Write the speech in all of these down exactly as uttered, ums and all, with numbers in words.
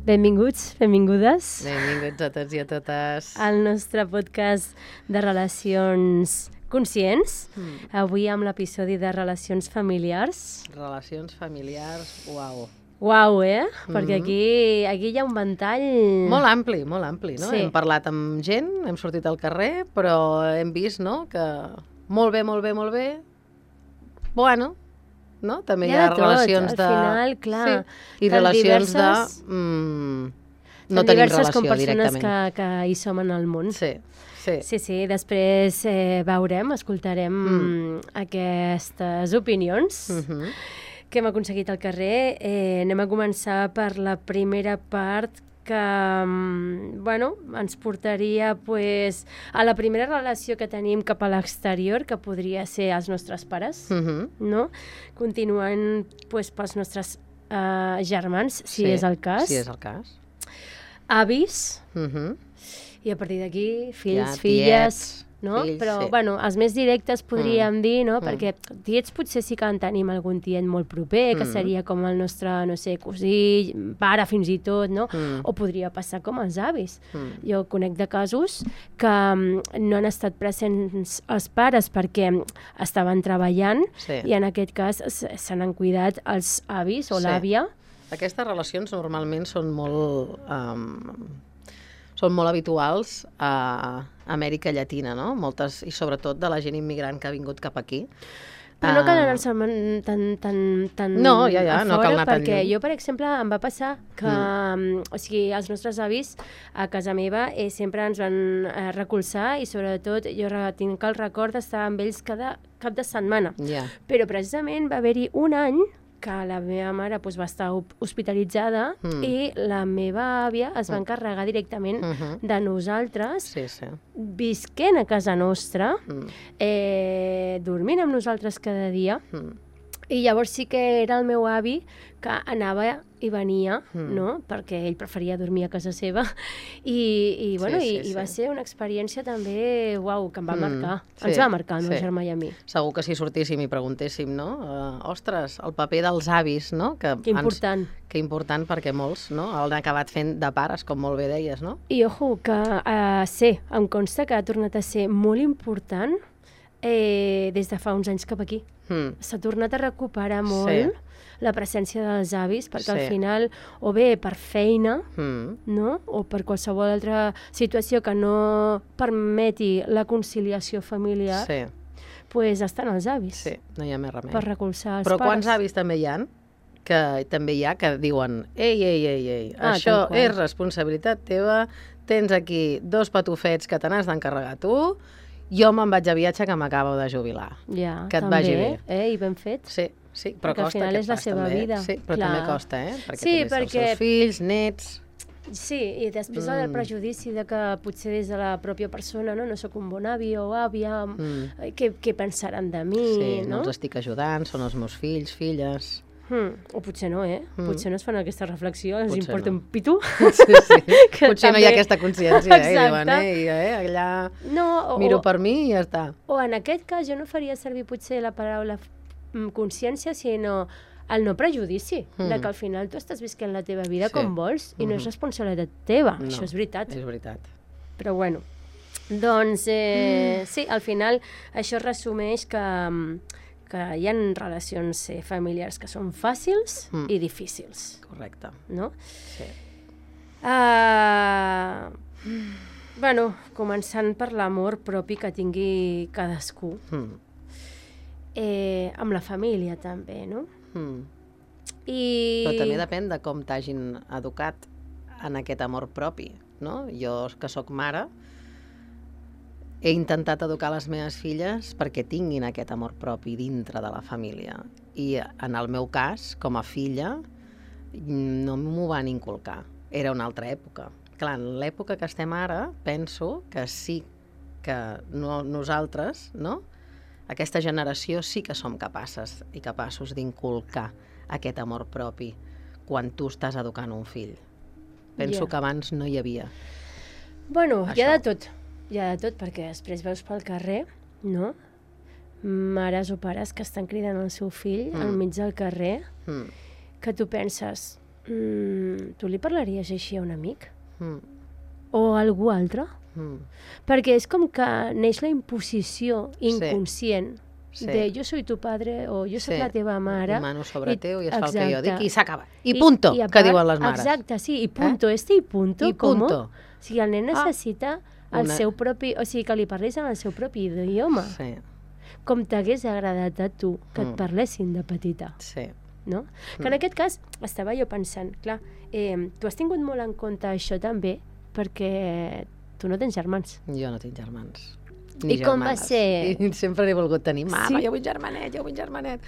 Benvinguts, benvingudes. Benvinguts a tots i a totes. Al nostre podcast de relacions conscients. Mm. Avui amb l'episodi de relacions familiars. Relacions familiars, uau. Uau, eh? Mm-hmm. Perquè aquí, aquí hi ha un ventall... Molt ampli, molt ampli, no? Sí. Hem parlat amb gent, hem sortit al carrer, però hem vist, no?, que molt bé, molt bé, molt bé, bueno... No? També hi ha, hi ha de relacions tot, de... Al final, clar. Sí. I relacions diverses... de... Mm, no tenim relació com directament. persones que, que hi som en el món. Sí, sí. Sí, sí. Després eh, veurem, escoltarem mm. aquestes opinions mm-hmm. que hem aconseguit al carrer. Eh, anem a començar per la primera part que bueno, ens portaria pues, a la primera relació que tenim cap a l'exterior, que podria ser els nostres pares, uh-huh. no? Continuant pues, pels nostres uh, germans, si sí, és el cas. Si és el cas. Avis, uh-huh. i a partir d'aquí fills, ja, filles... Tiets. No? Fills, però, sí. bueno, els més directes podríem mm. dir, no? Mm. Perquè tiets potser sí que en tenim algun tiet molt proper, que mm. seria com el nostre, no sé, cosí, pare fins i tot, no? Mm. O podria passar com els avis. Mm. Jo conec de casos que no han estat presents els pares perquè estaven treballant sí. i en aquest cas se n'han cuidat els avis o sí. l'àvia. Aquestes relacions normalment són molt... Um, són molt habituals a Amèrica Llatina, no? Moltes, i sobretot de la gent immigrant que ha vingut cap aquí. Però no cal anar-se tan, tan, tan no, ja, ja, a fora, no cal anar perquè tan lluny. Jo, per exemple, em va passar que mm. o sigui, els nostres avis a casa meva eh, sempre ens van eh, recolzar i sobretot jo tinc el record d'estar amb ells cada cap de setmana. Yeah. Però precisament va haver-hi un any que la meva mare doncs, va estar hospitalitzada mm. i la meva àvia es va encarregar directament mm-hmm. de nosaltres, sí, sí. visquent a casa nostra, mm. eh, dormint amb nosaltres cada dia, mm. i llavors sí que era el meu avi que anava i venia, mm. no? Perquè ell preferia dormir a casa seva, i, i, bueno, sí, sí, i, i va sí. ser una experiència també, uau, que em va mm. marcar. Sí, ens va marcar el meu sí. germà i a mi. Segur que si sortíssim i preguntéssim, no? Uh, ostres, el paper dels avis, no? Que que important. Ens, que important perquè molts, no? Han acabat fent de pares, com molt bé deies, no? I ojo, que uh, sé, em consta que ha tornat a ser molt important eh, des de fa uns anys cap aquí. Mm. S'ha tornat a recuperar molt sí. la presència dels avis, perquè sí. al final, o bé per feina, mm. no? O per qualsevol altra situació que no permeti la conciliació familiar, sí. pues estan els avis. Sí, no hi ha més remei. Per recolzar els Però pares. Quants avis també hi ha que també hi ha que diuen ei, ei, ei, ei, ah, això és responsabilitat teva, tens aquí dos patufets que te n'has d'encarregar tu, jo me'n vaig a viatge que m'acabo de jubilar. Ja, que et també, vagi bé. Eh, i ben fet. Sí, sí, però perquè costa al final aquest és la pas, seva també. vida. Sí, però clar. també costa, eh? Perquè sí, tens perquè... els seus fills, nets... Sí, i després mm. el prejudici de que potser des de la pròpia persona no, no sóc un bon avi o àvia, mm. què, què pensaran de mi, sí, no? no els estic ajudant, són els meus fills, filles... Hmm. O potser no, eh? Mm. Potser no es fan aquesta reflexió, els potser importa no. un pito. Sí, sí. Potser també... no hi ha aquesta consciència, eh? I diuen, eh, eh, allà no, o, miro per mi i ja està. O en aquest cas jo no faria servir potser la paraula consciència, sinó el no prejudici, mm. de que al final tu estàs visquent la teva vida sí. com vols i mm-hmm. no és responsabilitat teva, no, això és veritat. És veritat. Però bueno, doncs eh, mm. sí, al final això resumeix que... que hi ha relacions eh, familiars que són fàcils mm. i difícils. Correcte. No? Sí. Uh, bueno, començant per l'amor propi que tingui cadascú. Mm. Eh, amb la família també, no? Mm. I... Però també depèn de com t'hagin educat en aquest amor propi, no? Jo, que sóc mare, he intentat educar les meves filles perquè tinguin aquest amor propi dintre de la família. I en el meu cas, com a filla, no m'ho van inculcar. Era una altra època. Clar, en l'època que estem ara, penso que sí que no, nosaltres, no? Aquesta generació sí que som capaces i capaços d'inculcar aquest amor propi quan tu estàs educant un fill. Penso yeah. que abans no hi havia. Bueno, això. Hi ha de tot. Hi ha de tot, perquè després veus pel carrer, no? Mares o pares que estan cridant el seu fill mm. al mig del carrer, mm. que tu penses, mm, tu li parlaries així a un amic? Mm. O a algú altre? Mm. Perquè és com que neix la imposició inconscient Sí. de jo soy tu padre o jo soc Sí. la teva mare. I mano sobre I- teu i es fa el que jo exacte. dic i s'acaba. I punto, I a que part- diuen les mares. Exacte, sí, i punto, este i punto. I com? punto. O sigui, el nen necessita el Una- seu propi... O sigui, que li parlis en el seu propi idioma. Sí, Com t'hagués agradat a tu que et Mm. parlessin de petita, sí. no? Que en aquest cas estava jo pensant, clar, eh, tu has tingut molt en compte això també perquè tu no tens germans. Jo no tinc germans. I com va ser? I sempre n'he volgut tenir. Mama, Sí? jo vull germanet, jo vull germanet.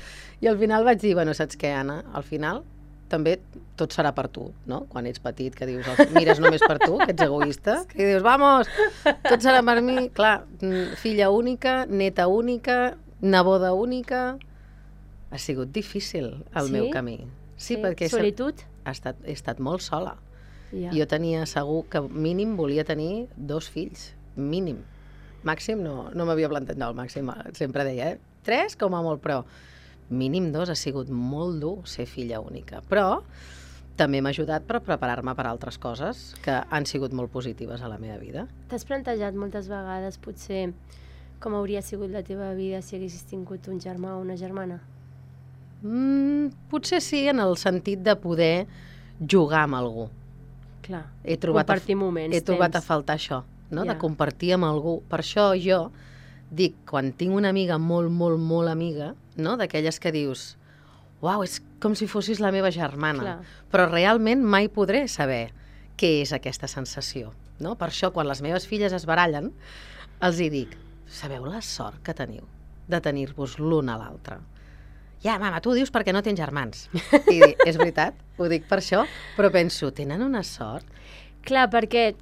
I al final vaig dir, bueno, saps què, Anna? Al final també tot serà per tu, no? Quan ets petit, que dius, mires només per tu, que ets egoista, i dius, vamos, tot serà per mi. Clar, mm, filla única, neta única, neboda única... Ha sigut difícil el Sí? meu camí. Sí, perquè he Solitud? he estat, he estat molt sola. Ja. Jo tenia segur que mínim volia tenir dos fills, mínim. Màxim no, no m'havia plantejat, no, el màxim sempre deia, eh? Tres com a molt, però mínim dos ha sigut molt dur ser filla única. Però també m'ha ajudat per preparar-me per altres coses que han sigut molt positives a la meva vida. T'has plantejat moltes vegades, potser, com hauria sigut la teva vida si haguessis tingut un germà o una germana? Mm, potser sí, en el sentit de poder jugar amb algú. Clar, He trobat compartir a, moments, he trobat a temps. faltar això, no? Ja. De compartir amb algú. Per això jo dic, quan tinc una amiga molt, molt, molt amiga, no? D'aquelles que dius, uau, és com si fossis la meva germana. Clar. Però realment mai podré saber què és aquesta sensació. No? Per això, quan les meves filles es barallen, els hi dic, sabeu la sort que teniu de tenir-vos l'un a l'altre? Ja, mama, tu ho dius perquè no tens germans. I dic, és veritat, ho dic per això, però penso, tenen una sort? Clar, perquè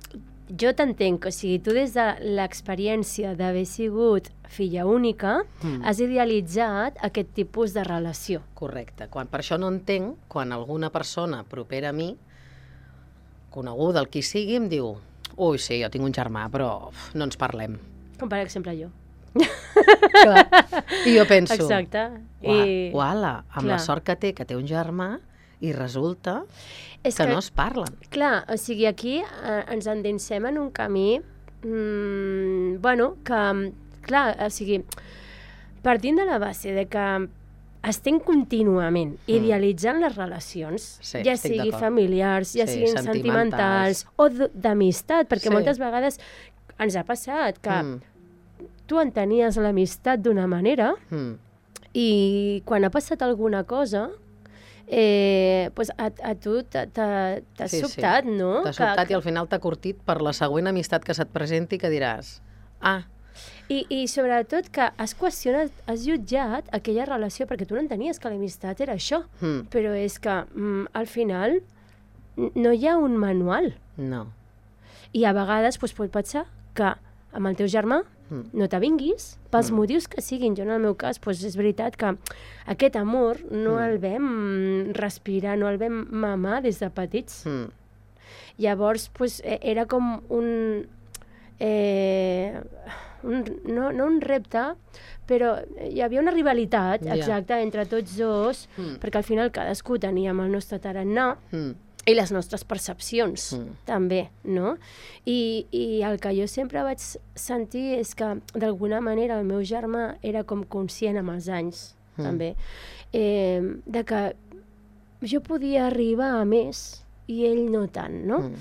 jo t'entenc, o sigui, tu des de l'experiència d'haver sigut filla única, Mm. has idealitzat aquest tipus de relació. Correcte. Quan, per això no entenc quan alguna persona propera a mi, coneguda, el qui sigui, em diu ui, sí, jo tinc un germà, però uf, no ens parlem. Com per exemple jo. Clar. I jo penso, Exacte. Ua, I... uala, amb clar. la sort que té, que té un germà, i resulta És que, que, no es parlen. clar, o sigui, aquí eh, ens endinsem en un camí, mm, bueno, que, clar, o sigui, partint de la base de que estem contínuament mm. idealitzant les relacions, Sí, ja estic sigui d'acord. familiars, ja Sí, siguin sentimentals. sentimentals o d- d'amistat, perquè Sí. moltes vegades ens ha passat que Mm. tu entenies l'amistat d'una manera Mm. i quan ha passat alguna cosa, eh, pues a, a tu t'ha t'ha- t'ha Sí, sí. sobtat, no? T'ha Que- sobtat i al final t'ha curtit per la següent amistat que se't presenti que diràs, ah, I, I sobretot que has qüestionat, has jutjat aquella relació, perquè tu no entenies que l'amistat era això, mm, però és que mm, al final n- no hi ha un manual. no. I a vegades doncs, pot passar que amb el teu germà Mm. no t'avinguis, pels Mm. motius que siguin. Jo en el meu cas doncs, és veritat que aquest amor no Mm. el vam respirar, no el vam mamar des de petits. Mm. Llavors, pues, eh, era com un, eh, un no, no un repte, però hi havia una rivalitat, Ja. exacta, entre tots dos, Mm. perquè al final cadascú teníem el nostre tarannà Mm. i les nostres percepcions, Mm. també, no? I, I el que jo sempre vaig sentir és que, d'alguna manera, el meu germà era com conscient amb els anys, Mm. també, eh, de que jo podia arribar a més i ell no tant, no? Mm.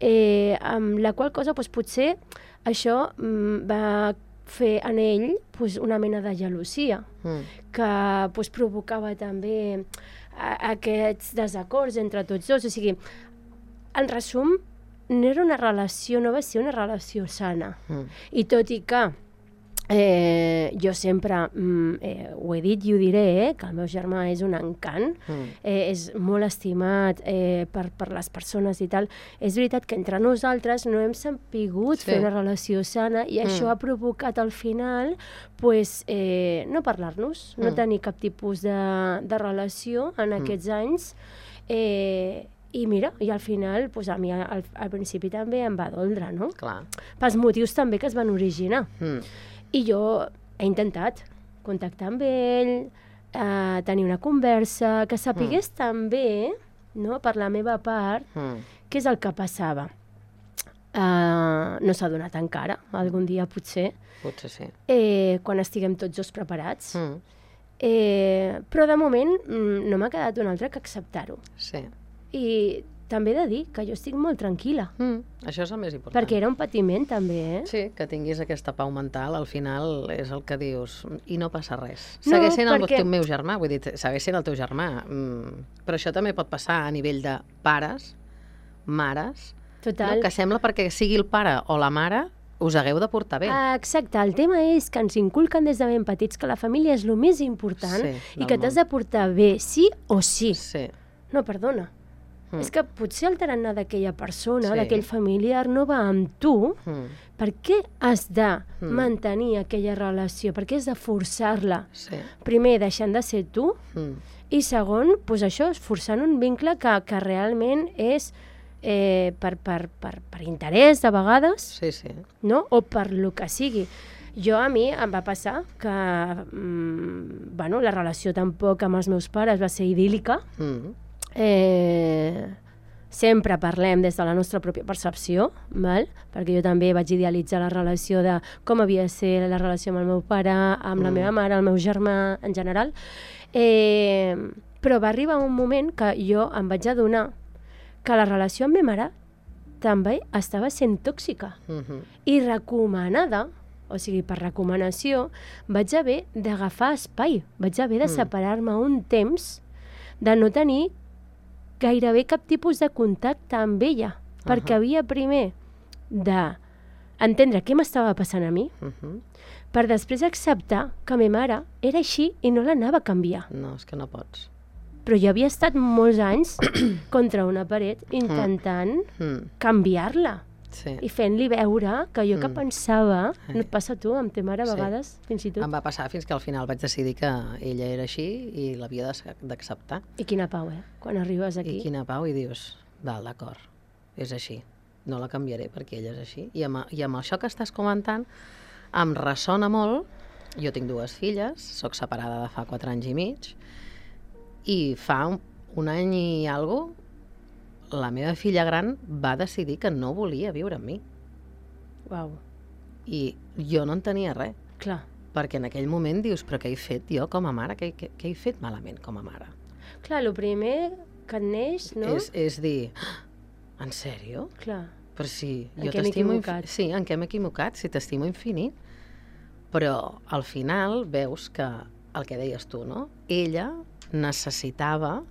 Eh, amb la qual cosa doncs, potser això mm, va fer en ell doncs, una mena de gelosia Mm. que doncs, provocava també a, aquests desacords entre tots dos. O sigui, en resum, no era una relació, no va ser una relació sana. Mm. I tot i que eh, jo sempre mm, eh, ho he dit i ho diré, eh, que el meu germà és un encant, Mm. eh, és molt estimat eh, per, per les persones i tal. És veritat que entre nosaltres no hem sapigut Sí. fer una relació sana i Mm. això ha provocat al final pues, eh, no parlar-nos, no Mm. tenir cap tipus de, de relació en aquests anys. Eh, I mira, i al final pues, a mi al, al principi també em va doldre, no? Clar. Pels motius també que es van originar. Mm. I jo he intentat contactar amb ell, eh, tenir una conversa, que sapigués Mm. també no? Per la meva part, Mm. què és el que passava? Uh, no s'ha donat encara, algun dia potser, Potser sí. eh, quan estiguem tots dos preparats. Mm. Eh, però de moment mm, no m'ha quedat un altre que acceptar-ho. Sí. I també he de dir que jo estic molt tranquil·la, Mm. Això és el més important. perquè era un patiment també, eh? Sí, que tinguis aquesta pau mental, al final és el que dius, i no passa res. No, Segueix sent el perquè- teu meu germà, vull dir, segueix sent el teu germà. Mm. Però això també pot passar a nivell de pares, mares, Total. no? Que sembla perquè sigui el pare o la mare, us hagueu de portar bé. Ah, exacte, el tema és que ens inculquen des de ben petits que la família és el més important Sí, i del que t'has món. de portar bé, sí o sí. Sí. No, perdona. Mm. És que potser el tarannà d'aquella persona, Sí. d'aquell familiar, no va amb tu. Mm. Per què has de Mm. mantenir aquella relació? Per què has de forçar-la? Sí. Primer, deixant de ser tu, Mm. i segon, doncs això, forçant un vincle que, que realment és eh, per, per, per, per interès, de vegades, Sí, sí. no? O per lo que sigui. Jo, a mi, em va passar que mm, bueno, la relació tampoc amb els meus pares va ser idíl·lica. Mm. Eh, sempre parlem des de la nostra pròpia percepció, val? Perquè jo també vaig idealitzar la relació de com havia de ser la relació amb el meu pare, amb la Mm. meva mare, el meu germà, en general. Eh, però va arribar un moment que jo em vaig adonar que la relació amb ma mare també estava sent tòxica Mhm. i recomanada, o sigui, per recomanació, vaig haver d'agafar espai, vaig haver de Mm. separar-me un temps, de no tenir gairebé cap tipus de contacte amb ella, perquè Ahà. havia primer d'entendre què m'estava passant a mi, Mhm. per després acceptar que ma mare era així i no l'anava a canviar. No, és que no pots. Però jo havia estat molts anys contra una paret intentant Mm. canviar-la Sí. i fent-li veure que jo que Mm. pensava, Ai. no et passa a tu, amb ta mare a Sí. vegades, fins i tot. Em va passar fins que al final vaig decidir que ella era així i l'havia d'ac- d'acceptar. I quina pau, eh? Quan arribes aquí. I quina pau, i dius, val, d'acord, és així, no la canviaré perquè ella és així. I amb, I amb això que estàs comentant em ressona molt. Jo tinc dues filles, sóc separada de fa quatre anys i mig, i fa un, un any i alguna cosa, la meva filla gran va decidir que no volia viure amb mi. Uau, I jo no en tenia res, clar. perquè en aquell moment dius, però què he fet jo com a mare? Què, què, què he fet malament com a mare? Clar, el primer que et neix, no? És, és dir, "Ah, en sèrio? Clar. Però sí, En jo què m'he t'estimo... infi- equivocat? Sí, en què m'he equivocat? Si t'estimo infinit. Però al final veus que el que deies tu, no? Ella necessitava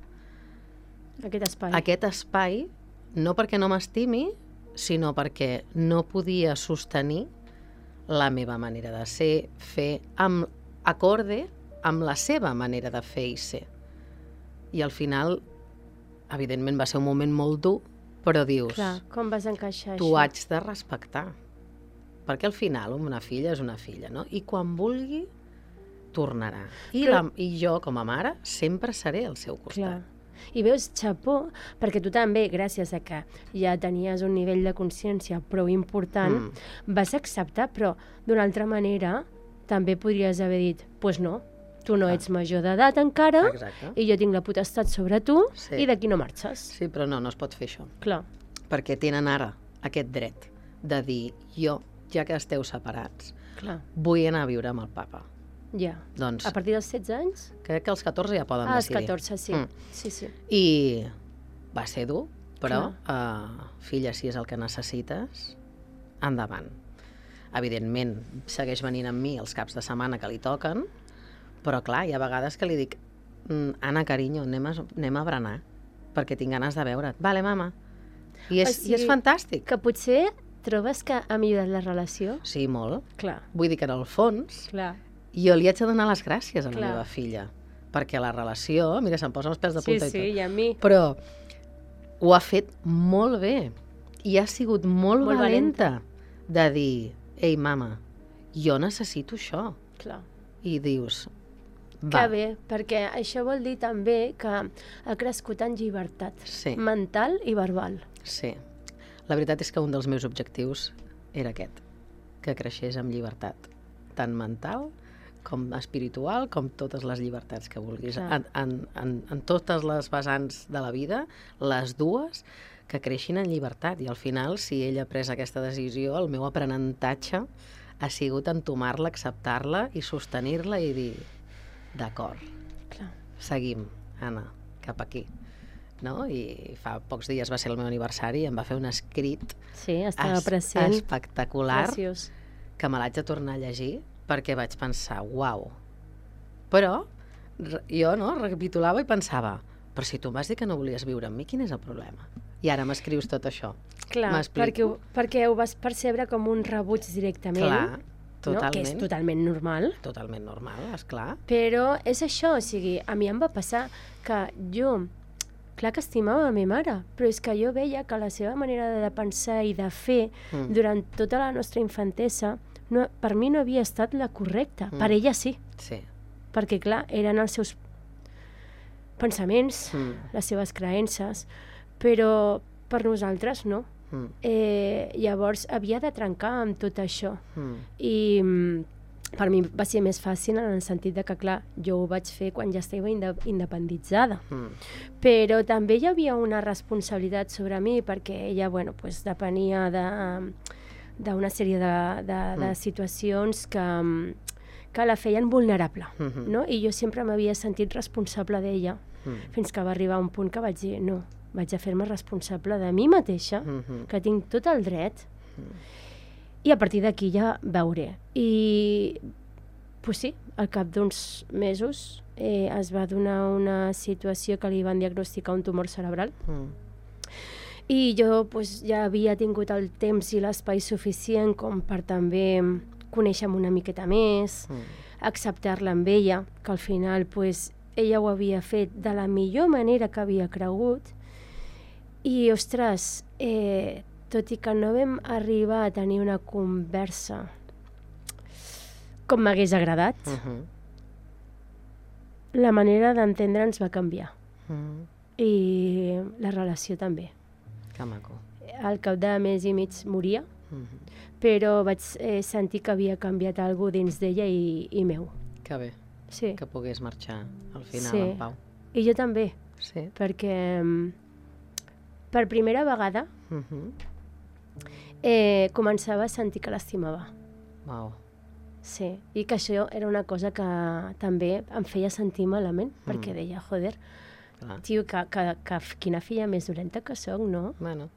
Aquest espai. aquest espai, no perquè no m'estimi, sinó perquè no podia sostenir la meva manera de ser, fer, amb acorde amb la seva manera de fer i ser. I al final, evidentment, va ser un moment molt dur, però dius, Clar, com vas encaixar t'ho això? haig de respectar. Perquè al final una filla és una filla, no? I quan vulgui, tornarà. I, Però- la, I jo, com a mare, sempre seré al seu costat. Clar. I veus, xapó, perquè tu també, gràcies a que ja tenies un nivell de consciència prou important, Mm. vas acceptar, però d'una altra manera també podries haver dit, doncs pues no, tu no Clar. ets major d'edat encara Exacte. i jo tinc la potestat sobre tu Sí. i d'aquí no marxes. Sí, però no, no es pot fer això. Clar, Perquè tenen ara aquest dret de dir, jo, ja que esteu separats, clar, vull anar a viure amb el papa. ja. Doncs A partir dels setze anys? crec que als catorze ja poden Ah, als decidir. catorze, sí. Mm. Sí, sí. I va ser dur, però, uh, filla, si és el que necessites, endavant. Evidentment, segueix venint amb mi els caps de setmana que li toquen, però clar, hi ha vegades que li dic, "Mm, Anna, carinyo, anem a, anem a berenar, perquè tinc ganes de veure't. Vale, mama. I és, O sigui, i és fantàstic. Que potser trobes que ha millorat la relació? Sí, molt. Clar, Vull dir que en el fons clar. jo li haig de donar les gràcies a la Clar. meva filla, perquè la relació, mira, se'm posen els pèls de Sí, punta i sí, tot, i a mi. però ho ha fet molt bé i ha sigut molt, Molt valenta de dir, ei, mama, jo necessito això. Clar. I dius, Que va, bé, perquè això vol dir també que ha crescut en llibertat Sí. mental i verbal. sí. La veritat és que un dels meus objectius era aquest, que creixés amb llibertat, tant mental com espiritual, com totes les llibertats que vulguis. Clar. En, en, en, en totes les vessants de la vida, les dues, que creixin en llibertat. I al final, si ella ha pres aquesta decisió, el meu aprenentatge ha sigut entomar-la, acceptar-la i sostenir-la i dir, d'acord, Clar. seguim, Anna, cap aquí. No? I fa pocs dies va ser el meu aniversari i em va fer un escrit Sí, estava es, present. espectacular Preciós. que me l'haig de tornar a llegir perquè vaig pensar, uau. Però re- jo no, recapitulava i pensava, però si tu em vas dir que no volies viure amb mi, quin és el problema? I ara m'escrius tot això. Clar, perquè, ho- perquè ho vas percebre com un rebuig directament, Clar, no? totalment. Que és totalment normal. Totalment normal, esclar. Però és això, o sigui, a mi em va passar que jo, clar que estimava la meva mare, però és que jo veia que la seva manera de pensar i de fer Mm. durant tota la nostra infantesa no, per mi no havia estat la correcta. Mm. Per ella sí, Sí. perquè clar, eren els seus pensaments, Mm. les seves creences, però per nosaltres no. Mm. Eh, llavors havia de trencar amb tot això. Mm. I mm, per mi va ser més fàcil en el sentit de que, clar, jo ho vaig fer quan ja estava inde independitzada. Mm. Però també hi havia una responsabilitat sobre mi perquè ella, bueno, pues, depenia de d'una sèrie de, de, de Mm. situacions que, mm, que la feien vulnerable, Mhm. no? I jo sempre m'havia sentit responsable d'ella, Mm. fins que va arribar un punt que vaig dir, no, vaig a fer-me responsable de mi mateixa, Mhm. que tinc tot el dret, i a partir d'aquí ja veuré. I, pues sí, al cap d'uns mesos eh, es va donar una situació que li van diagnosticar un tumor cerebral, Mm. i jo pues, ja havia tingut el temps i l'espai suficient com per també conèixer-me una miqueta més, Mm. acceptar-la amb ella, que al final pues, ella ho havia fet de la millor manera que havia cregut, i, ostres, eh, tot i que no vam arribar a tenir una conversa com m'hagués agradat, Mhm. la manera d'entendre'ns va canviar, Mm. i la relació també. Que maco. Al cap de mes i mig moria, Mhm. però vaig eh, sentir que havia canviat alguna cosa dins d'ella i, i meu. Que bé, Sí. que pogués marxar al final Sí. en pau. I jo també, Sí. perquè mm, per primera vegada Mhm. eh, començava a sentir que l'estimava. Uau. Sí, i que això era una cosa que també em feia sentir malament, Mm. perquè deia, joder, Clar. tio, que, que, que quina filla més dolenta que sóc, no? Bueno,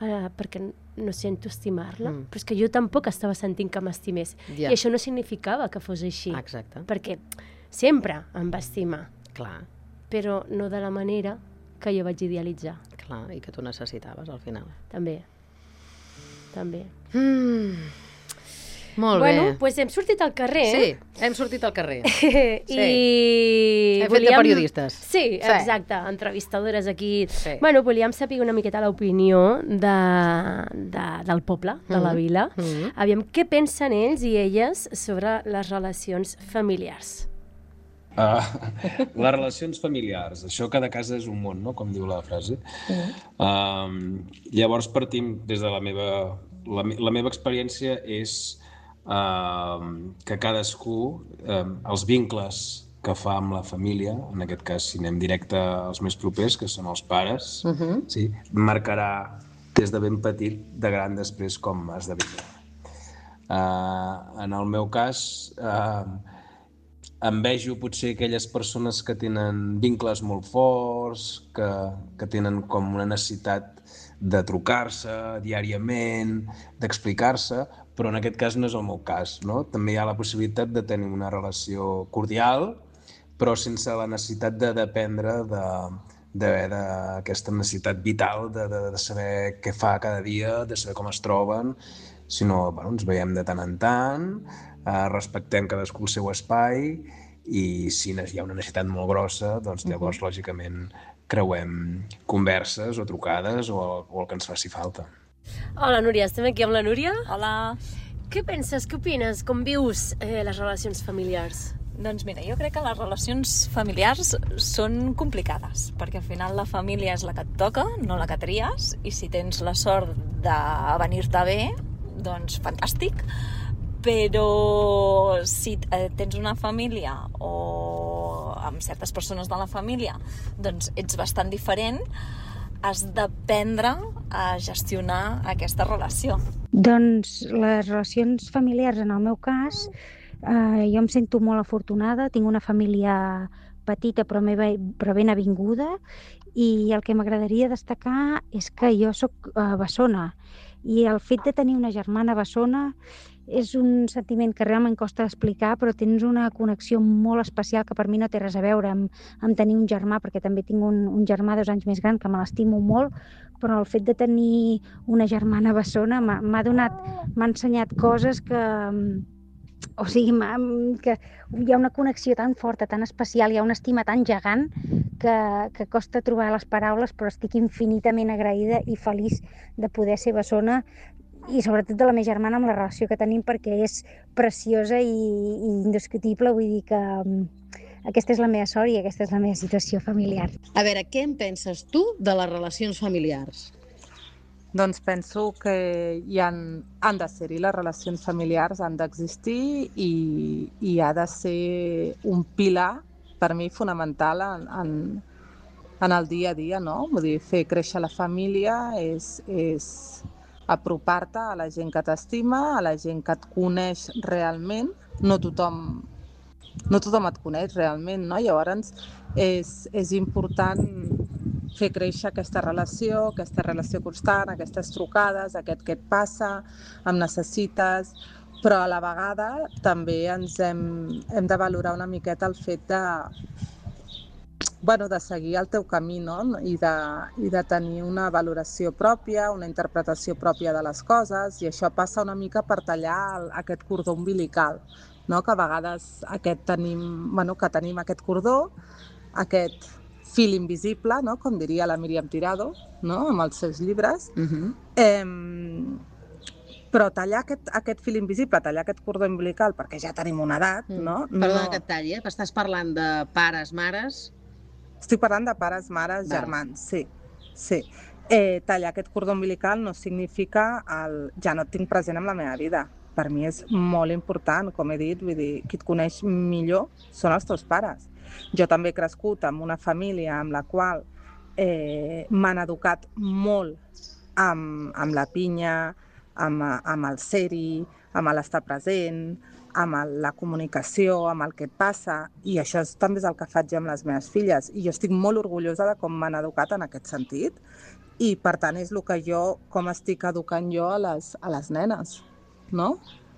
Uh, perquè no sento estimar-la. Mm. Però és que jo tampoc estava sentint que m'estimés. ja. I això no significava que fos així, Exacte. perquè sempre em va estimar, Clar, però no de la manera que jo vaig idealitzar. clar, i que tu necessitaves al final. També. També. Mm. Molt bueno, bé. doncs pues hem sortit al carrer. Sí, hem sortit al carrer. I Hem fet de periodistes. Sí, Sí. exacte, entrevistadores aquí. Sí. Bueno, volíem saber una miqueta l'opinió de, de, del poble, de la Mhm. vila. Mhm. Aviam què pensen ells i elles sobre les relacions familiars. Uh, les relacions familiars, això cada casa és un món, no? Com diu la frase. Uh, llavors partim des de la meva... La, me- la meva experiència és uh, que cadascú, uh, els vincles que fa amb la família, en aquest cas si anem directe als més propers, que són els pares, Mhm. sí, marcarà des de ben petit, de gran després, com has de viure. Uh, en el meu cas, uh, envejo potser aquelles persones que tenen vincles molt forts, que, que tenen com una necessitat de trucar-se diàriament, d'explicar-se, però en aquest cas no és el meu cas, no? També hi ha la possibilitat de tenir una relació cordial, però sense la necessitat de dependre de, d'haver d'aquesta necessitat vital de, de, de saber què fa cada dia, de saber com es troben, sinó bueno, ens veiem de tant en tant, eh, respectem cadascú el seu espai i si hi ha una necessitat molt grossa, doncs llavors, uh-huh. lògicament, creuem converses o trucades o el, o el que ens faci falta. Hola, Núria, estem aquí amb la Núria. Hola. Què penses, què opines, com vius eh, les relacions familiars? Doncs mira, jo crec que les relacions familiars són complicades, perquè al final la família és la que et toca, no la que tries, i si tens la sort de venir-te bé, doncs fantàstic, però si tens una família o amb certes persones de la família, doncs ets bastant diferent, has d'aprendre a gestionar aquesta relació. Doncs les relacions familiars, en el meu cas, eh, jo em sento molt afortunada, tinc una família petita però, meva, però ben avinguda, i el que m'agradaria destacar és que jo sóc eh, bessona, i el fet de tenir una germana bessona és un sentiment que realment costa explicar, però tens una connexió molt especial que per mi no té res a veure amb, amb tenir un germà, perquè també tinc un, un germà dos anys més gran que me l'estimo molt, però el fet de tenir una germana bessona m'ha donat, m'ha ensenyat coses que, o sigui, que hi ha una connexió tan forta, tan especial, hi ha una estima tan gegant que, que costa trobar les paraules, però estic infinitament agraïda i feliç de poder ser bessona, i sobretot de la meva germana amb la relació que tenim, perquè és preciosa i, i indiscutible. Vull dir que um, aquesta és la meva sort i aquesta és la meva situació familiar. A veure, què en penses tu de les relacions familiars? Doncs penso que hi han, han de ser-hi les relacions familiars, han d'existir i, i ha de ser un pilar, per mi, fonamental en, en, en el dia a dia, no? Vull dir, fer créixer la família és... és apropar-te a la gent que t'estima, a la gent que et coneix realment. No tothom, no tothom et coneix realment, no? Llavors és, és important fer créixer aquesta relació, aquesta relació constant, aquestes trucades, aquest què et passa, em necessites, però a la vegada també ens hem, hem de valorar una miqueta el fet de, bueno, de seguir el teu camí, no? I de, i de tenir una valoració pròpia, una interpretació pròpia de les coses, i això passa una mica per tallar el, aquest cordó umbilical, no? Que a vegades aquest tenim, bueno, que tenim aquest cordó, aquest fil invisible, no? Com diria la Míriam Tirado, no? Amb els seus llibres. Uh-huh. eh, però tallar aquest, aquest fil invisible, tallar aquest cordó umbilical, perquè ja tenim una edat, mm. no? Perdona no... que et talli, eh? Estàs parlant de pares, mares... Estic parlant de pares, mares, Val. germans, sí. sí. Eh, tallar aquest cordó umbilical no significa el ja no et tinc present en la meva vida. Per mi és molt important, com he dit, vull dir, qui et coneix millor són els teus pares. Jo també he crescut amb una família amb la qual eh, m'han educat molt amb, amb la pinya, amb, amb el ser-hi, amb l'estar present, amb el, la comunicació, amb el que et passa, i això és, també és el que faig amb les meves filles, i jo estic molt orgullosa de com m'han educat en aquest sentit, i per tant és el que jo, com estic educant jo a les, a les nenes, no?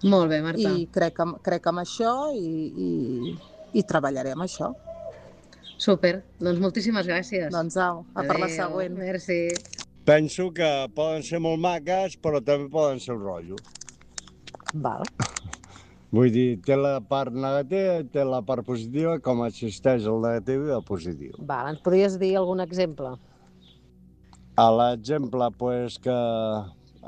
Molt bé, Marta. I crec, crec en això i, i, i treballaré amb això. Súper, doncs moltíssimes gràcies. Doncs au, a per la següent. Merci. Penso que poden ser molt maques, però també poden ser un rotllo. Val. Vull dir, té la part negativa i té la part positiva, com existeix el negatiu i el positiu. Val, ens podries dir algun exemple? A l'exemple, pues, que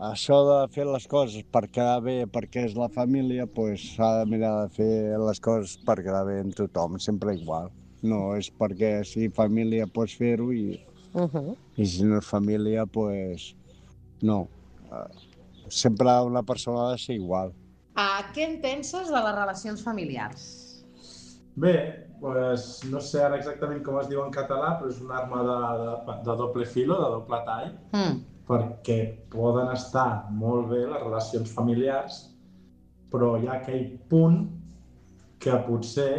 això de fer les coses per quedar bé, perquè és la família, pues, s'ha de mirar de fer les coses per quedar bé amb tothom, sempre igual. No és perquè si família pots fer-ho i, uh-huh. i si no és família, pues, no. Sempre una persona ha de ser igual. Uh, què en penses de les relacions familiars? Bé, pues, no sé ara exactament com es diu en català, però és una arma de, de, de doble filo, de doble tall, mm. perquè poden estar molt bé les relacions familiars, però hi ha aquell punt que potser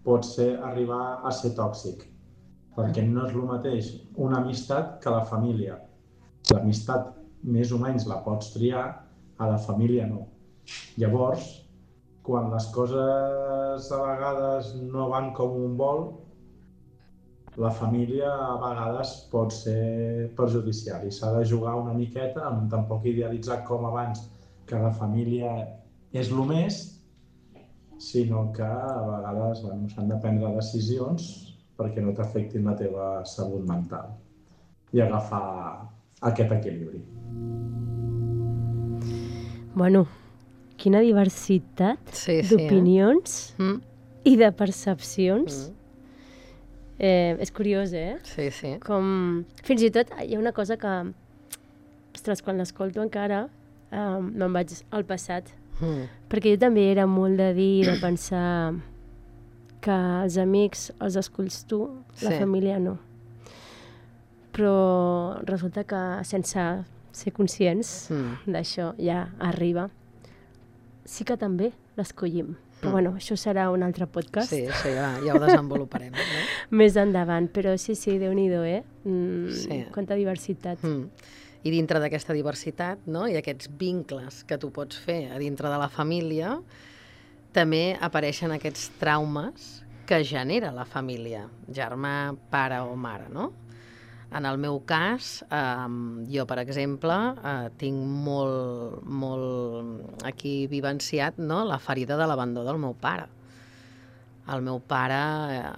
pot ser arribar a ser tòxic, perquè no és el mateix una amistat que la família. L'amistat més o menys la pots triar, a la família no. Llavors, quan les coses a vegades no van com un vol, la família a vegades pot ser perjudicial i s'ha de jugar una miqueta, amb tampoc idealitzar com abans que la família és el més, sinó que a vegades bueno, s'han de prendre decisions perquè no t'afectin la teva salut mental i agafar aquest equilibri. Bueno, quina diversitat sí, sí, d'opinions eh? mm. i de percepcions. Mm. Eh, és curiós, eh? Sí, sí. Com... Fins i tot hi ha una cosa que, ostres, quan l'escolto encara, eh, me'n vaig al passat, Mm. Perquè jo també era molt de dir, de pensar que els amics els esculls tu, sí. La família no. Però resulta que sense ser conscients mm. d'això ja arriba. Sí que també l'escollim. Però mm. bueno, això serà un altre podcast. Sí, això ja, ja ho desenvoluparem. No? Més endavant, però sí, sí, Déu-n'hi-do, eh? Mm, sí. Quanta diversitat. Mm. I dintre d'aquesta diversitat, no? I aquests vincles que tu pots fer a dintre de la família, també apareixen aquests traumes que genera la família, germà, pare o mare, no? En el meu cas, eh, jo, per exemple, eh, tinc molt, molt aquí vivenciat, no? La ferida de l'abandó del meu pare. El meu pare eh,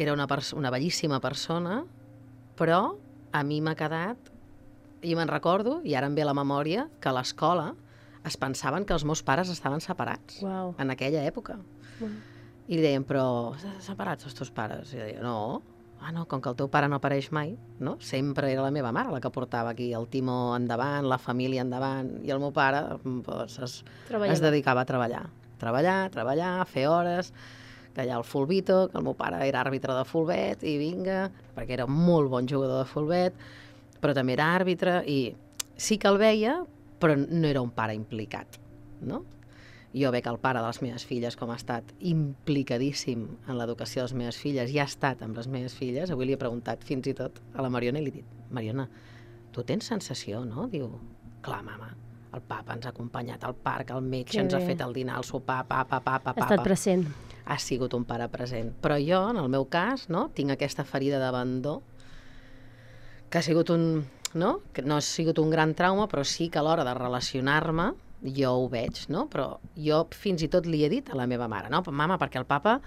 era una, una bellíssima persona, però a mi m'ha quedat, i me'n recordo, i ara em ve a la memòria, que a l'escola es pensaven que els meus pares estaven separats. Wow. En aquella època. Wow. I deien, però separats els teus pares? I deia, no, ah, no, com que el teu pare no apareix mai, no? Sempre era la meva mare la que portava aquí el timó endavant, la família endavant, i el meu pare doncs, es, es dedicava a treballar. Treballar, treballar, fer hores, que allà el fulbito, que el meu pare era àrbitre de fulbet, i vinga, perquè era molt bon jugador de fulbet, però també era àrbitre, i sí que el veia, però no era un pare implicat, no? Jo veig el pare de les meves filles com ha estat implicadíssim en l'educació de les meves filles i ha estat amb les meves filles. Avui li he preguntat fins i tot a la Mariona i li he dit, Mariona, tu tens sensació, no? Diu, clar, mama, el papa ens ha acompanyat al parc, al metge, que ens bé. Ha fet el dinar, el sopar, papa, papa, papa. Ha estat present. Ha sigut un pare present. Però jo, en el meu cas, no, tinc aquesta ferida d'abandó que ha sigut un... no? Que no ha sigut un gran trauma, però sí que a l'hora de relacionar-me jo ho veig, no? Però jo fins i tot li he dit a la meva mare, no? Mama, perquè el papa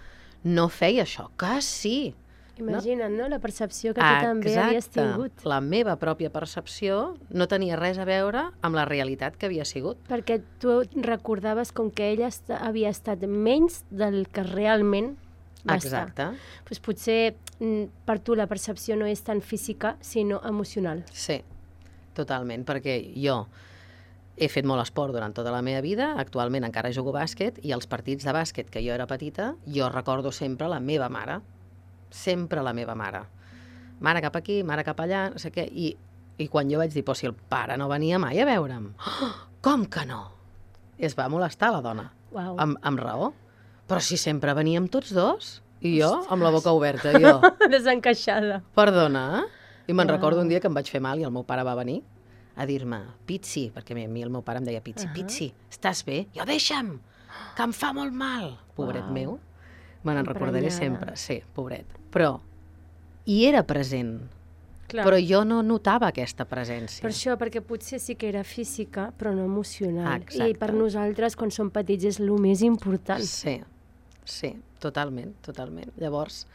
no feia això. Que sí! Imagina't, no? La percepció que tu també havies tingut. Exacte. La meva pròpia percepció no tenia res a veure amb la realitat que havia sigut. Perquè tu recordaves com que ella est havia estat menys del que realment va Exacte. estar. Pues potser per tu la percepció no és tan física, sinó emocional. Sí, totalment, perquè jo he fet molt esport durant tota la meva vida, actualment encara jugo bàsquet, i els partits de bàsquet que jo era petita, jo recordo sempre la meva mare, sempre la meva mare. Mare cap aquí, mare cap allà, no sé què, i, i quan jo vaig dir, però si el pare no venia mai a veure'm, oh, com que no? I es va molestar la dona, wow. amb, amb raó, però si sempre veníem tots dos, i jo amb la boca oberta, jo... Desencaixada. Perdona, i me'n wow. recordo un dia que em vaig fer mal i el meu pare va venir a dir-me, Pitsi, perquè a mi el meu pare em deia Pitsi, uh -huh. Pitsi, estàs bé? Jo, deixa'm, que em fa molt mal. Pobret wow. meu, me n'en recordaré sempre, sí, pobret. Però hi era present, clar. Però jo no notava aquesta presència. Per això, perquè potser sí que era física, però no emocional. Exacte. I per nosaltres, quan som petits, és el més important. Sí, sí, totalment, totalment. Llavors...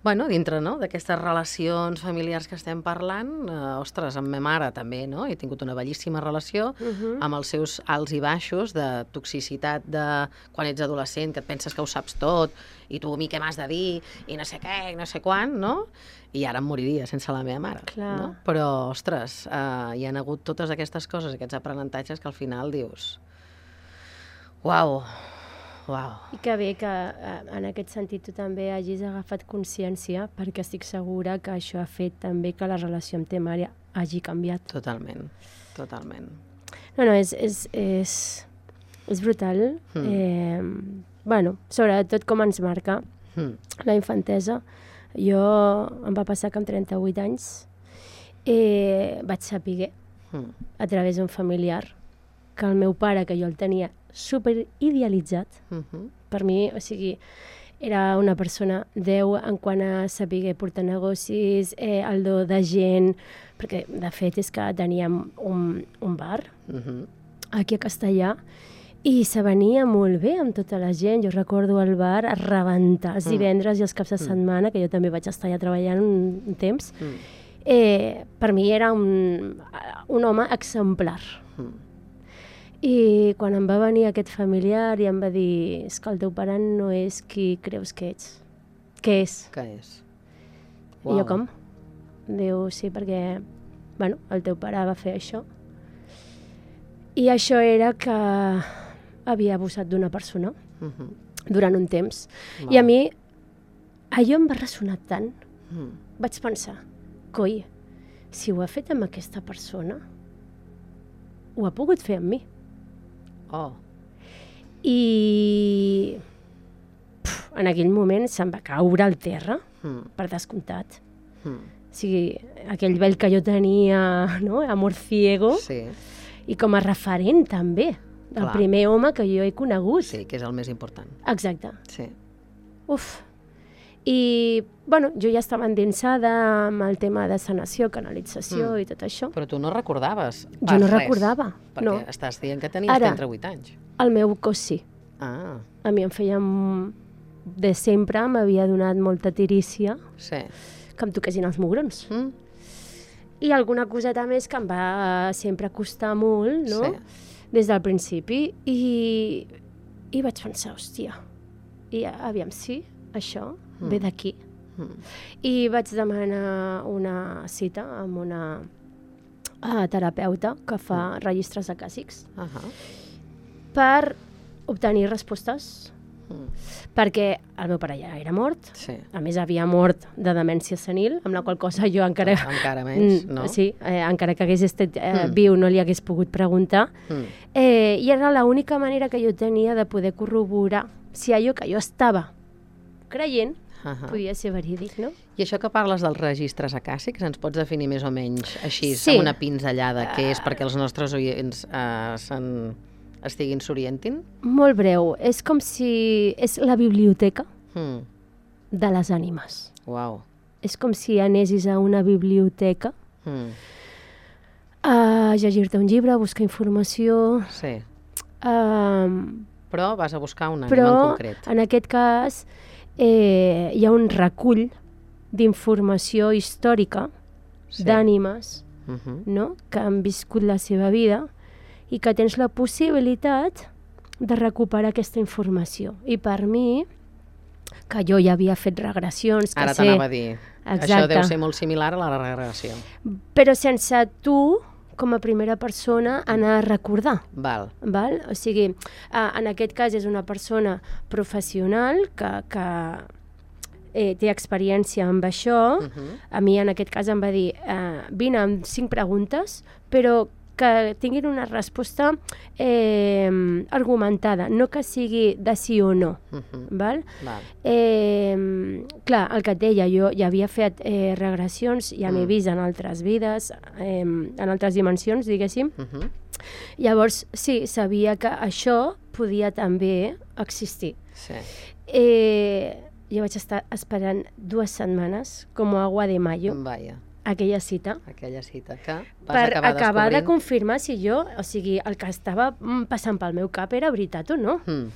Bueno, dintre no, d'aquestes relacions familiars que estem parlant, eh, ostres, amb ma mare també, no? He tingut una bellíssima relació uh -huh. amb els seus alts i baixos de toxicitat de quan ets adolescent, que et penses que ho saps tot, i tu a mi què m'has de dir, i no sé què, i no sé quan, no? I ara em moriria sense la meva mare, clar. No? Però, ostres, eh, hi han hagut totes aquestes coses, aquests aprenentatges que al final dius... Uau! Wow. I que bé que en aquest sentit tu també hagis agafat consciència, perquè estic segura que això ha fet també que la relació amb ta mare hagi canviat. Totalment, totalment. No, no, és, és, és, és brutal. Mm. Eh, bueno, sobretot com ens marca mm. la infantesa. Jo em va passar que amb trenta-vuit anys eh, vaig saber mm. a través d'un familiar que el meu pare, que jo el tenia super idealitzat, uh-huh. per mi, o sigui, era una persona deu en quant a saber portar negocis, eh, el do de gent, perquè de fet és que teníem un, un bar uh-huh. aquí a Castellà i se venia molt bé amb tota la gent. Jo recordo el bar a rebentar els divendres uh-huh. i els caps de setmana, que jo també vaig estar allà treballant un, un temps. Uh-huh. eh, per mi era un, un home exemplar. Uh-huh. I quan em va venir aquest familiar i em va dir, és que el teu pare no és qui creus que ets. Què és? Què és? Wow. I jo com? Diu, sí, perquè bueno, el teu pare va fer això. I això era que havia abusat d'una persona Mhm. durant un temps. Val. I a mi allò em va ressonar tant. Mm. Vaig pensar, coi, si ho ha fet amb aquesta persona, ho ha pogut fer amb mi. Oh. I puf, en aquell moment se'm va caure al terra, Mm. per descomptat. Mm. O sigui, aquell vel que jo tenia, no?, amor ciego, Sí, i com a referent també, del Clar. primer home que jo he conegut. sí, que és el més important. Exacte. Sí. Uf. I, bueno, jo ja estava endinsada amb el tema de sanació, canalització Mm. i tot això. Però tu no recordaves Jo pas no res, recordava, perquè no. estàs dient que tenies Ara. trenta vuit anys. El meu cos sí. Ah, A mi em feia... m- De sempre m'havia donat molta tirícia sí. que em toquessin els mugrons. Mm? I alguna coseta més que em va sempre costar molt, no?, Sí. des del principi. I, i vaig pensar, hòstia, i aviam, sí, això Mm. ve d'aquí. Mm. I vaig demanar una cita amb una uh, terapeuta que fa registres acàsics Ahà. per obtenir respostes, Mm. perquè el meu pare ja era mort, Sí. a més havia mort de demència senil, amb la qual cosa jo encara... Encara menys, Mm, no? Sí, eh, encara que hagués estat eh, Mm. viu no li hagués pogut preguntar. Mm. Eh, I era l'única manera que jo tenia de poder corroborar si allò que jo estava creient Ahà. podia ser verídic, no? I això que parles dels registres acàsics, ens pots definir més o menys així, Sí. amb una pinzellada, què és perquè els nostres oients eh, se'n estiguin s'orientin? Molt breu, és com si... és la biblioteca Mm. de les ànimes. Uau. És com si anessis a una biblioteca Mm. a llegir-te un llibre, a buscar informació... Sí. Um, Però vas a buscar un ànima però en concret. en aquest cas eh, hi ha un recull d'informació històrica Sí. d'ànimes, Mhm. no?, que han viscut la seva vida i que tens la possibilitat de recuperar aquesta informació. I per mi, que jo ja havia fet regressions, que Ara sé... t'anava a dir. Això Exacte. deu ser molt similar a la regressió. Però sense tu, com a primera persona, anar a recordar. Val. Val? O sigui, eh, en aquest cas és una persona professional que, que eh, té experiència amb això. Mhm. A mi en aquest cas em va dir eh, vine amb cinc preguntes, però que tinguin una resposta eh, argumentada, no que sigui de sí o no. Mhm. Val? Val. Eh, clar, el que et deia, jo ja havia fet eh, regressions, ja m'he Mm. vist en altres vides, eh, en altres dimensions, diguéssim. Mhm. Llavors, sí, sabia que això podia també existir. Sí. Eh, jo vaig estar esperant dues setmanes, com agua de mayo, Vaja, aquella cita, aquella cita que vas per acabar, acabar de descobrint. confirmar si jo, o sigui, el que estava mm, passant pel meu cap era veritat o no. Mm.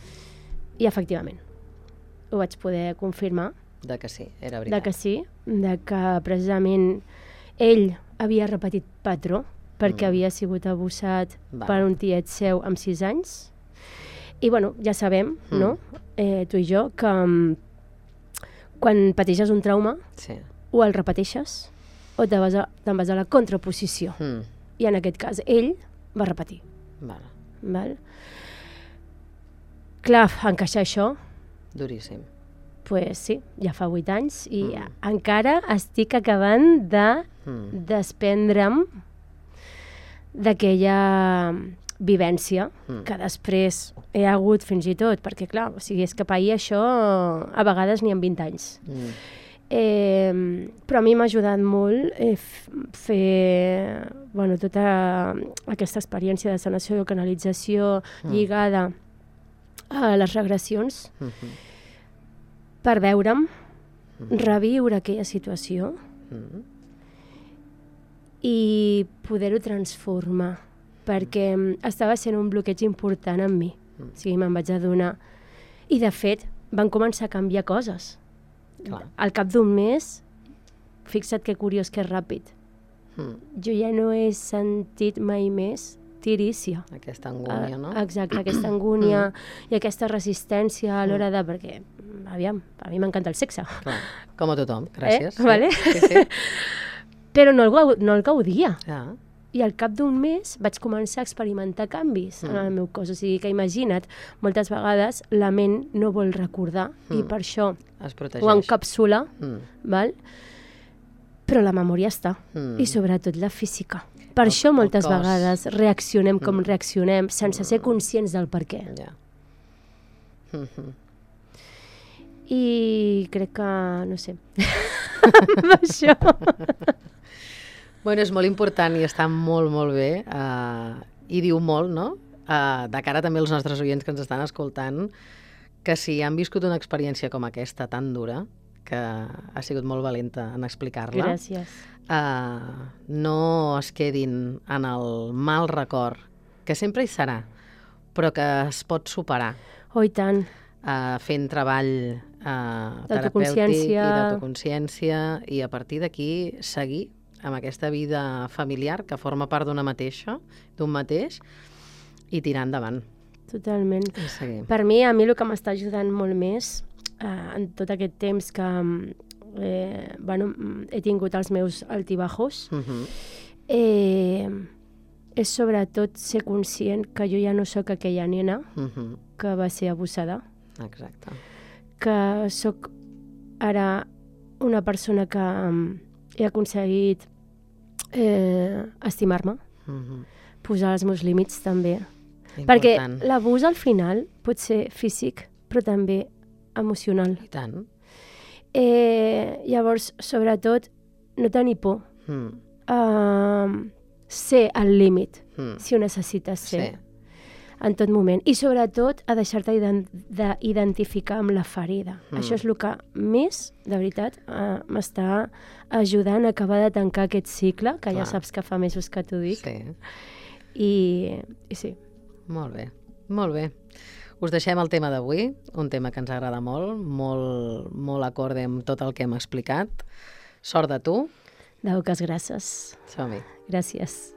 I efectivament, ho vaig poder confirmar, De que sí, era de veritat. que sí, de que precisament ell havia repetit patró perquè Mm. havia sigut abusat Val. per un tiet seu amb sis anys. I bueno, ja sabem, Mm. no?, eh, tu i jo, que mm, quan pateixes un trauma Sí. o el repeteixes o te vas a, te'n vas a la contraposició. Mm. I en aquest cas ell va repetir. Val. Val? Clar, encaixar això, Duríssim. pues sí, ja fa vuit anys i Mm. encara estic acabant de Mm. desprendre'm d'aquella vivència Mm. que després he hagut fins i tot, perquè clar, o sigui, és que pair això a vegades ni en vint anys. Mm. Eh, però a mi m'ha ajudat molt eh, f- fer bueno, tota aquesta experiència de sanació i canalització Mm. lligada a les regressions Mhm. per veure'm, Mhm. reviure aquella situació Mm. i poder-ho transformar, perquè mm, estava sent un bloqueig important en mi. Mm. O sigui, me'n vaig adonar. I, de fet, van començar a canviar coses. Clar. Al cap d'un mes, fixa't que curiós, que ràpid. Mm. Jo ja no he sentit mai més tirícia. Aquesta angúnia, no? Ah, exacte, aquesta angúnia i aquesta resistència a l'hora de... Perquè, mm, aviam, a mi m'encanta el sexe. Clar. Com a tothom, gràcies. Eh? Vale? Sí, sí. Però no el, gau no el gaudia. Ja. i al cap d'un mes vaig començar a experimentar canvis mm. en el meu cos. O sigui que imagina't, moltes vegades la ment no vol recordar mm. i per això ho encapsula, mm. val? Però la memòria està, mm. i sobretot la física. Per el, això moltes vegades reaccionem com mm. reaccionem sense ser conscients del per què. Yeah. Mm-hmm. I crec que, no sé, amb això... Bueno, és molt important i està molt, molt bé, uh, i diu molt, no? Uh, de cara també als nostres oients que ens estan escoltant, que si han viscut una experiència com aquesta, tan dura, que ha sigut molt valenta en explicar-la. Gràcies. Uh, no es quedin en el mal record, que sempre hi serà, però que es pot superar. Oh, i tant. Uh, fent treball uh, terapèutic i d'autoconsciència, i a partir d'aquí seguir amb aquesta vida familiar que forma part d'una mateixa, d'un mateix, i tirar endavant. Totalment. Per mi, a mi el que m'està ajudant molt més eh, en tot aquest temps que eh, bueno, he tingut els meus altibajos, uh-huh. eh, és sobretot ser conscient que jo ja no sóc aquella nena uh-huh. que va ser abusada. Exacte. Que sóc ara una persona que he aconseguit eh, estimar-me, uh-huh. posar els meus límits també. Important. Perquè l'abús al final pot ser físic, però també emocional. I tant. Eh, llavors, sobretot, no tenir por. Mm. Uh, ser al límit, mm. si ho necessites ser. Sí. En tot moment. I sobretot a deixar-te d'identificar amb la ferida. Mm. Això és el que més, de veritat, uh, m'està ajudant a acabar de tancar aquest cicle, que Clar. Ja saps que fa mesos que t'ho dic. Sí. I, I sí. Molt bé, molt bé. Us deixem el tema d'avui, un tema que ens agrada molt, molt, molt acorde amb tot el que hem explicat. Sort de tu. Dauques gràcies. Som-hi. Gràcies.